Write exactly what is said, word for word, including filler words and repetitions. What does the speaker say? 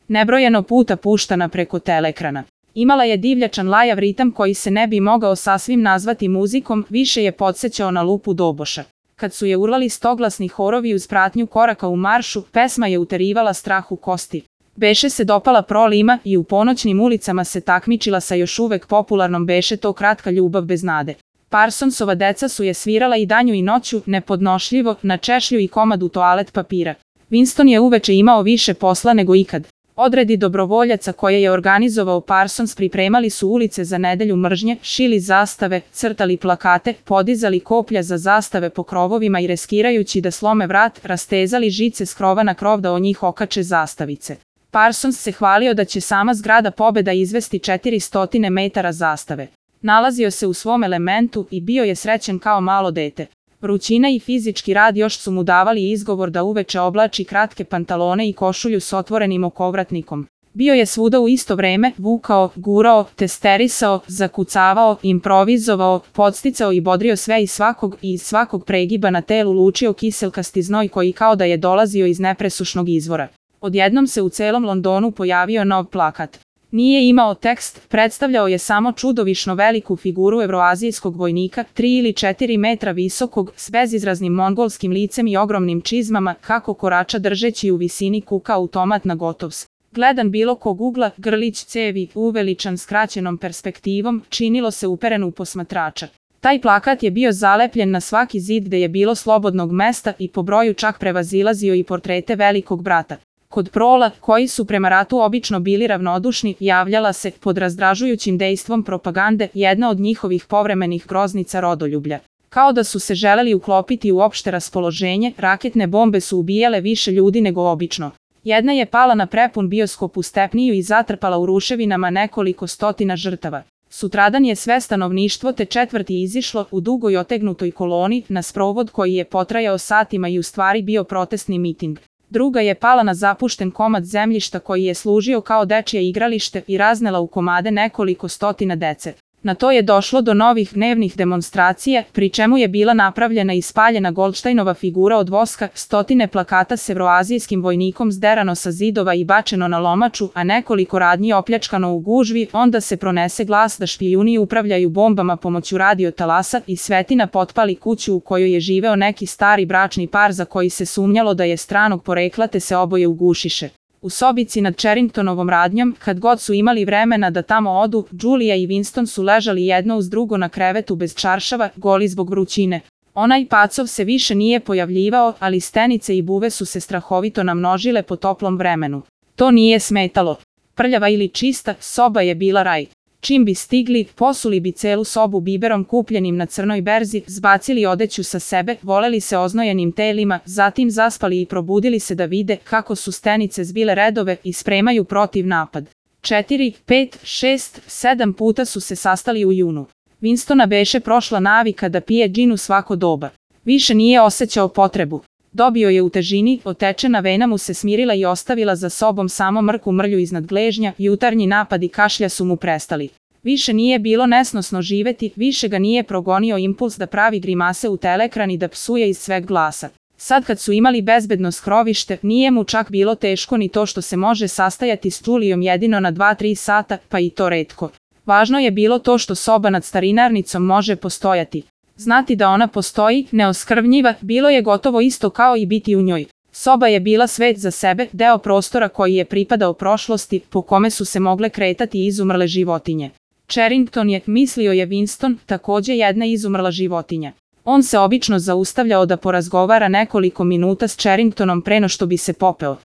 nebrojeno puta puštana preko teleekrana. Imala je divljačan lajav ritam koji se ne bi mogao sasvim nazvati muzikom, više je podsjećao na lupu doboša. Kad su je urlali stoglasni horovi uz pratnju koraka u maršu, pesma je uterivala strah u kosti. Beše se dopala prolima i u ponoćnim ulicama se takmičila sa još uvek popularnom Beše to kratka ljubav bez nade. Parsonsova deca su je svirala i danju i noću, nepodnošljivo, na češlju i komadu toalet papira. Winston je uveče imao više posla nego ikad. Odredi dobrovoljaca koje je organizovao Parsons pripremali su ulice za nedelju mržnje, šili zastave, crtali plakate, podizali koplja za zastave po krovovima i riskirajući da slome vrat, rastezali žice s krova na krov da o njih okače zastavice. Parsons se hvalio da će sama zgrada Pobeda izvesti četiristo metara zastave. Nalazio se u svom elementu i bio je srećen kao malo dete. Vrućina i fizički rad još su mu davali izgovor da uveče oblači kratke pantalone i košulju s otvorenim okovratnikom. Bio je svuda u isto vreme, vukao, gurao, testerisao, zakucavao, improvizovao, podsticao i bodrio sve i svakog i iz svakog pregiba na telu lučio kiselkasti znoj koji kao da je dolazio iz nepresušnog izvora. Odjednom se u celom Londonu pojavio nov plakat. Nije imao tekst, predstavljao je samo čudovišno veliku figuru evroazijskog vojnika, tri ili četiri metra visokog, s bezizraznim mongolskim licem i ogromnim čizmama, kako korača držeći u visini kuka automat na gotovs. Gledan bilo kog ugla, grlić cevi, uveličan skraćenom perspektivom, činilo se uperen u posmatrača. Taj plakat je bio zalepljen na svaki zid gde je bilo slobodnog mesta i po broju čak prevazilazio i portrete velikog brata. Kod prola, koji su prema ratu obično bili ravnodušni, javljala se, pod razdražujućim dejstvom propagande, jedna od njihovih povremenih groznica rodoljublja. Kao da su se želeli uklopiti u opšte raspoloženje, raketne bombe su ubijale više ljudi nego obično. Jedna je pala na prepun bioskop u Stepniju i zatrpala u ruševinama nekoliko stotina žrtava. Sutradan je sve stanovništvo te četvrti izišlo u dugoj otegnutoj koloni na sprovod koji je potrajao satima i u stvari bio protestni miting. Druga je pala na zapušten komad zemljišta koji je služio kao dečije igralište i raznela u komade nekoliko stotina dece. Na to je došlo do novih dnevnih demonstracija, pri čemu je bila napravljena i spaljena Goldsteinova figura od voska, stotine plakata s evroazijskim vojnikom zderano sa zidova i bačeno na lomaču, a nekoliko radnji opljačkano u gužvi, onda se pronese glas da špijuni upravljaju bombama pomoću radiotalasa i svetina potpali kuću u kojoj je živeo neki stari bračni par za koji se sumnjalo da je stranog porekla te se oboje ugušiše. U sobici nad Charringtonovom radnjom, kad god su imali vremena da tamo odu, Julia i Winston su ležali jedno uz drugo na krevetu bez čaršava, goli zbog vrućine. Onaj pacov se više nije pojavljivao, ali stenice i buve su se strahovito namnožile po toplom vremenu. To nije smetalo. Prljava ili čista, soba je bila raj. Čim bi stigli, posuli bi celu sobu biberom kupljenim na crnoj berzi, zbacili odeću sa sebe, voleli se oznojenim telima, zatim zaspali i probudili se da vide kako su stenice zbile redove i spremaju protiv napad. Četiri, pet, šest, sedam puta su se sastali u junu. Winstona beše prošla navika da pije džin u svako doba. Više nije osjećao potrebu. Dobio je u težini, otečena vena mu se smirila i ostavila za sobom samo mrku mrlju iznad gležnja, jutarnji napadi kašlja su mu prestali. Više nije bilo nesnosno živeti, više ga nije progonio impuls da pravi grimase u teleekran i da psuje iz sveg glasa. Sad kad su imali bezbedno skrovište, nije mu čak bilo teško ni to što se može sastajati s Julijom jedino na dva tri sata, pa i to retko. Važno je bilo to što soba nad starinarnicom može postojati. Znati da ona postoji, neoskrvnjiva, bilo je gotovo isto kao i biti u njoj. Soba je bila svet za sebe, deo prostora koji je pripadao prošlosti, po kome su se mogle kretati izumrle životinje. Charrington je, mislio je Winston, takođe jedna izumrla životinja. On se obično zaustavljao da porazgovara nekoliko minuta s Charringtonom pre no što bi se popeo.